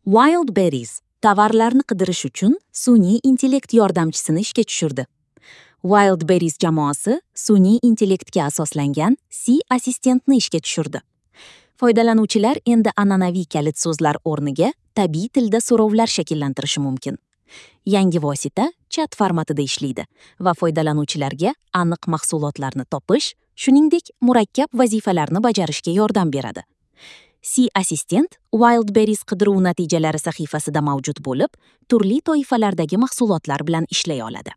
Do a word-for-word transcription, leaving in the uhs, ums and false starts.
Wildberries tovarlarni qidirish uchun sun'iy intellekt yordamchisini ishga tushirdi. Wildberries jamoasi sun'iy intellektga asoslangan C assistentni ishga tushirdi. Foydalanuvchilar endi an'anaviy kalit so'zlar o'rniga tabiiy tilda so'rovlar shakllantirishi mumkin. Yangi vosita chat formatida ishlaydi va foydalanuvchilarga aniq mahsulotlarni topish, shuningdek, murakkab vazifalarni bajarishga yordam beradi. C assistent Wildberries qidiruv natijalari sahifasida mavjud bo'lib, turli toifalardagi mahsulotlar bilan ishlay oladi.